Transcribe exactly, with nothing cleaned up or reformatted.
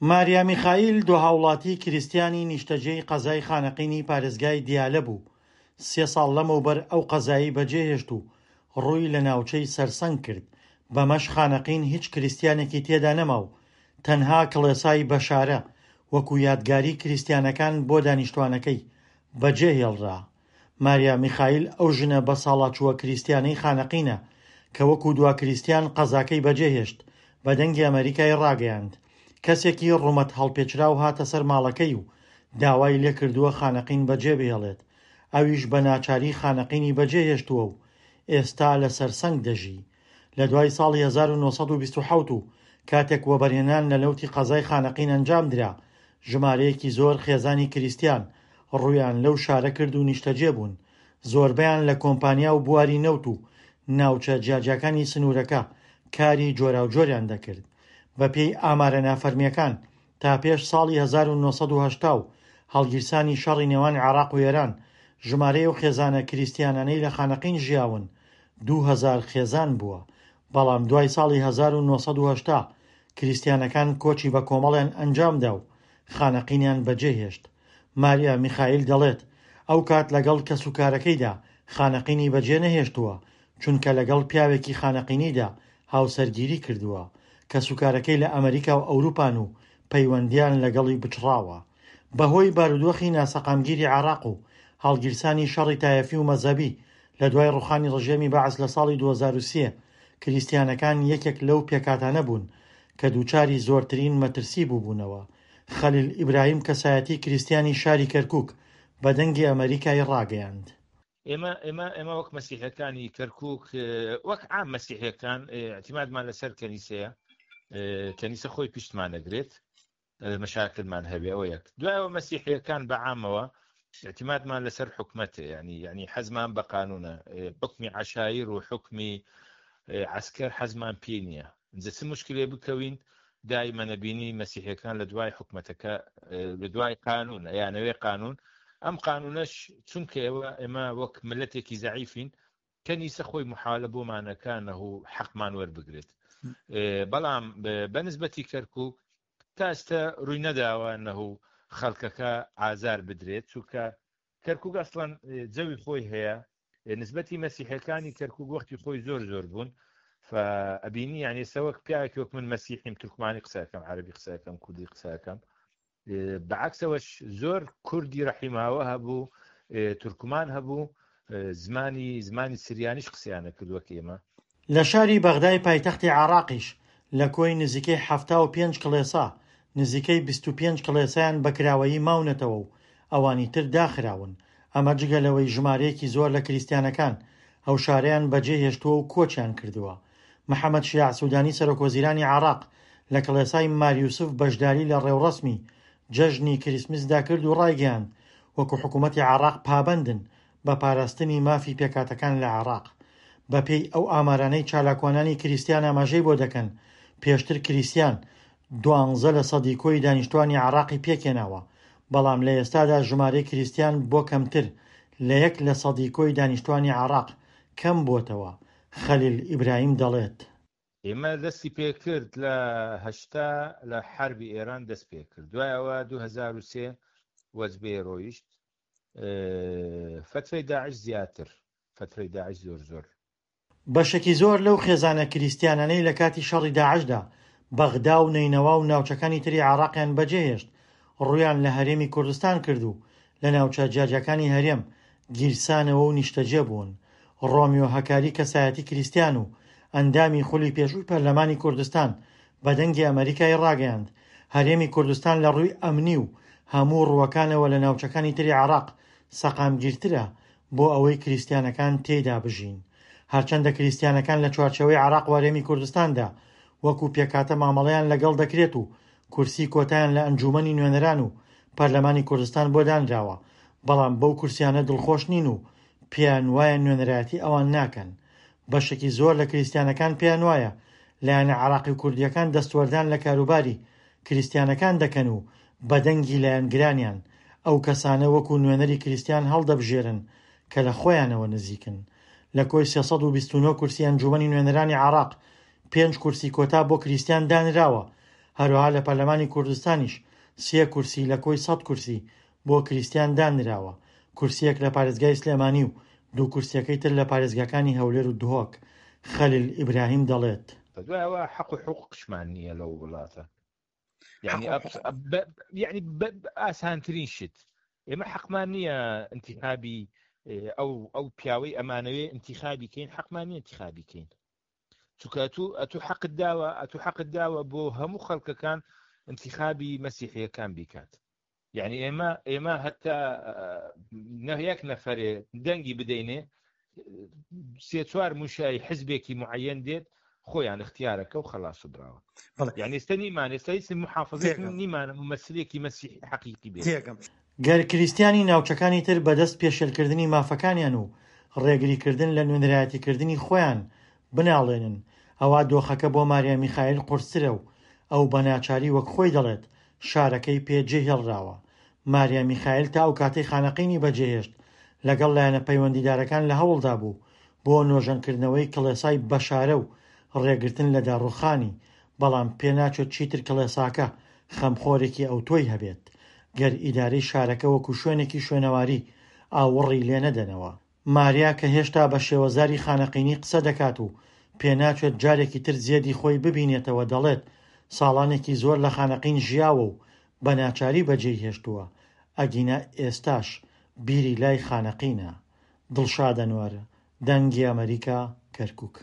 ماریا میخائیل دو هاوڵاتی کریستیانی نیشتەجێی قەزای خانەقینی پارێزگای دیالە بوو، سێ ساڵ لەمەوبەر ئەو قەزایەی بەجێهێشت و ڕووی لە ناوچەی سەرسەنگ کرد، بەمەش خانەقین هیچ کریستیانێکی تێدا نەما و تەنها کڵێسای بەشارە وەکو یادگاری کریستیانەکان بۆ دانیشتوانەکەی بەجێهێڵرا. ماریا میخائیل ئەو ژنە بەساڵاچووە کریستیانەی خانەقینە کە وەکو دوا کریستیان قەزاکەی بەجێهێشت، بە دەنگی ئەمەریکای ڕاگەیاند کەسێکی ڕوومەت هەڵپێچراو هاتە سەر ماڵەکەی و داوای لێکردووە خانەقین بەجێبهێڵێت، ئەویش بە ناچاری خانەقینی بەجێهێشتووە و ئێستا لە سەرسەنگ دەژی. لە دوای ساڵی هەزار و نۆ سەد و بیست و حەوت و کاتێک وەبەرهێنان لە نەوتی قەزای خانەقین ئەنجام درا، ژمارەیەکی زۆر خێزانی کریستیان ڕوویان لەو شارە کرد و نیشتەجێ بوون، زۆربەیان لە کۆمپانیا و بواری نەوت و ناوچە جیاجیاکانی سنوورەکە کاری جۆراوجۆریان دەکرد. بەپێی ئامارە نافەرمیەکان تا پێش ساڵی هەزار و نۆ سەد و هەشتا و هەڵگیرسانی شەڕی نێوان عێراق و ئێران، ژمارەی ئەو خێزانە کریستیانانەی لە خانەقین ژیاون دوو هەزار خێزان بووە، بەڵام دوای ساڵی هەزار و نۆ سەد و هەشتا کریستیانەکان کۆچی بە کۆمەڵیان ئەنجامدا و خانەقینیان بەجێهێشت. ماریا میخائیل دەڵێت ئەو کات لەگەڵ کەسوکارەکەیدا خانەقینی بەجێ نەهێشتووە، چونکە لەگەڵ پیاوێکی خانەقینیدا هاوسەرگیری کردووە. کەسوکارەکەی لە ئەمریکا و ئەوروپان و پەیوەندیان لەگەڵی بچڕاوە. بەهۆی بارودۆخی ناسەقامگیری عێراق و هەڵگیرسانی شەڕی تایەفی و مەزهەبی لە دوای ڕوخانی ڕژێمی بەعس لە ساڵی دوو هەزار و سێ، کریستیانەکان یەکێک لەو پێکهاتانە بوون کە دووچاری زۆرترین مەترسی بووبوونەوە. خەلیل ئیبراهیم کەسایەتی کریستیانی شاری کەرکوک بە دەنگی ئەمەریکای ڕاگەیاند. ئێمە ئێمە ئێمە وەک مەسیحەکانی کەرکوک، وەک عام مەسیحەکان، اعتمادمان لەسەر کەنیسەیە، کەنیسە خۆی پشتمان دەگرێت، مەشاکلمان هەبێ ئەوە یەک. دوایەوە مەسیحیەکان بە عامەوە اعتمادمان لەسەر حکومەتە، یعنی یعنی حەزمان بە قانونە، حکمی عەشایر و حکمی عەسکەر حەزمان پێ نییە. ئینجا چ مشکلێ بکەوین دائما نەبینی مەسیحیەکان لە دوای حکومەتەکە، لە دوای قانون، یانەوێ قانون. ئەم قانونەش چونکە ئێوە ئێمە وەک ملەتێکی زەعیفین، کەنیسە خۆی محالە بۆمانەکانە و حەقمان وەربگرێت. بەڵام بەنسبەتی کەرکوک تا ئێستا ڕووی نەداوە نەهو خەڵکەکە ئازار بدرێت، چونکە کەرکوک ئەسڵەن جەوی خۆی هەیە. نسبەتی مەسیحەکانی کەرکوک وەختی خۆی زۆر زۆر بوون، فەبینی یعنی سەوەک پیاوێکی وەک من مەسیحیم، تورکمانی قسەکەم، عەرەبی قسەکەم، کوردی قسەکەم، بەعکسەوەش زۆر کوردی ڕەحیماوە هەبوو، تورکمان هەبوو، زمانی زمانی سریانیش قسەیانە کردووە کە ئێمە. لە شاری بەغدای پایتەختی عێراقیش لە کۆی نزیکەی حەفتا و پێنج کڵێسا، نزیکەی بیست و پێنج کڵێسایان بەکراوەیی ماونەتەوە و ئەوانی تر داخراون. ئەمە جگە لەوەی ژمارەیەکی زۆر لە کریستیانەکان ئەو شارەیان بەجێهێشتووە و کۆچیان کردووە. محەممەد شیاع سودانی سەرۆک وەزیرانی عێراق لە کڵێسای ماریوسف بەشداری لە ڕێوڕەسمی جەژنی کریسمسدا کرد و ڕایگەیاند وەکو حکوومەتی عێراق پابەندن بە پاراستنی مافی پێکهاتەکان لە عێراق. بەپێی ئەو ئامارانەی چالاکوانانی کریستیان ئاماژەی بۆ دەکەن، پێشتر کریستیان دوانزە لە سەدی کۆی دانیشتوانی عێراقی پێکهێناوە، بەڵام لە ئێستادا ژمارەی کریستیان بۆ کەمتر لە یەک لە سەدی کۆی دانیشتوانی عێراق کەم بۆتەوە. خەلیل ئیبراهیم دەڵێت ئێمە دەستی پێکرد لە هەشتا لە حربی ئێران دەست پێکرد، دوایەوە دوو هەزار و سێ وەجبێ ڕۆیشت. فترەی داعش زیاتر، فترەی داعش زۆر زۆر. بەشێکی زۆر لەو خێزانە کریستیانانەی لە کاتی شەڕی داعشدا بەغدا و نەینەوا و ناوچەکانی تری عێراقیان بەجێهێشت، ڕوویان لە هەرێمی کوردستان کرد و لە ناوچە جیاجیاکانی هەرێم گیرسانەوە و نیشتەجێ بوون. ڕۆمیۆ هەکاری کەسایەتی کریستیان و ئەندامی خولی پێشووی پەرلەمانی کوردستان بە دەنگی ئەمریکای ڕاگەیاند هەرێمی کوردستان لە ڕووی ئەمنی و هەموو ڕووەکانەوە لە ناوچەکانی تری عێراق سەقامگیرترە بۆ ئەوەی کریستیانەکان تێیدا بژین. هەرچەندە کریستیانەکان لە چوارچێوەی عێراق و هەرێمی کوردستاندا وەکو پێکهاتە مامەڵەیان لەگەڵ دەکرێت و کورسی کۆتایان لە ئەنجومەنی نوێنەران و پەرلەمانی کوردستان بۆ دانراوە، بەڵام بەو کورسیانە دڵخۆش نین و پێیان وایە نوێنەرایەتی ئەوان ناکەن. بەشێکی زۆر لە کریستیانەکان پێیان وایە لایەنە عێراقی و کوردیەکان دەستوەردان لە کاروباری کریستیانەکان دەکەن و بەدەنگی لایەنگرانیان ئەو کەسانە وەکو نوێنەری کریستیان هەڵدەبژێرن کە لە خۆیانەوە نزیکن. لە کۆی سێ سەد و بیست و نۆ کورسی ئەنجومەنی نوێنەرانی عێراق پێنج کورسی کۆتا بۆ کریستیان دانراوە، هەروەها لە پەرلەمانی کوردستانیش سێ کورسی لە کۆی سەد کورسی بۆ کریستیان دانراوە، کورسییەک لە پارێزگای سلێمانی و دوو کورسییەکەی تر لە پارێزگاکانی هەولێر و دهۆک. خەلیل ئیبراهیم دەڵێت. دوای ئەوە حەق و حقوقشمان نییە لەو وڵاتە. یعنی یعنی ئاسانترین شت ئێمە حەقمان نییە انتخابی ئەو ئەو پیاوەی ئەمانەوێ انتخابی کەین، حەقمان نییە انتخابی کەین، چونکە ئەتوو ئەتوو حەقت داوە، ئەتوو حەقت داوە بۆ هەموو خەڵکەکان انتخابی مەسیحیەکان بیکات. یعنی ئێمە ئێمە هەتا یەک نەفەرێ دەنگی بدەینێ سێ چوار موشای حزبێکی معەن دێت خۆیان اختیارەکە و خەلاس و براوە. یعنی ئێستا نیمان، ئێستا هیچ محافظێک نیمانە ممەسلێکی مەسیحی حەقیقی بێت. گەر کریستیانی ناوچەکانی تر بەدەست پێشێلکردنی مافەکانیان و ڕێگریکردن لە نوێنەرایەتیکردنی خۆیان بناڵێنن، ئەوا دۆخەکە بۆ ماریا میخایل قورسترە و ئەو بە ناچاری وەک خۆی دەڵێت شارەکەی پێ جێهێڵراوە. ماریا میخایل تا ئەو کاتەی خانەقینی بەجێهێشت لەگەڵ لایەنە پەیوەندیدارەکان لە هەوڵدا بوو بۆ نۆژەنکردنەوەی کڵێسای بەشارە و ڕێگرتن لە داڕوخانی، بەڵام پێناچێت چیتر کڵێساکە خەمخۆرێکی ئەوتۆی هەبێت گەر ئیدارەی شارەکە وەکو شوێنێکی شوێنەواری ئاوڕی لێ نەدەنەوە. ماریا کە هێشتا بە شێوەزاری خانەقینی قسە دەکات و پێناچێت جارێکی تر زێدی خۆی ببینێتەوە دەڵێت ساڵانێکی زۆر لە خانەقین ژیاوە و بە ناچاری بەجێی هێشتووە، ئەگینا ئێستاش بیری لای خانەقینە. دڵشاد ئەنوەر، دەنگی ئەمەریکا، کەرکوک.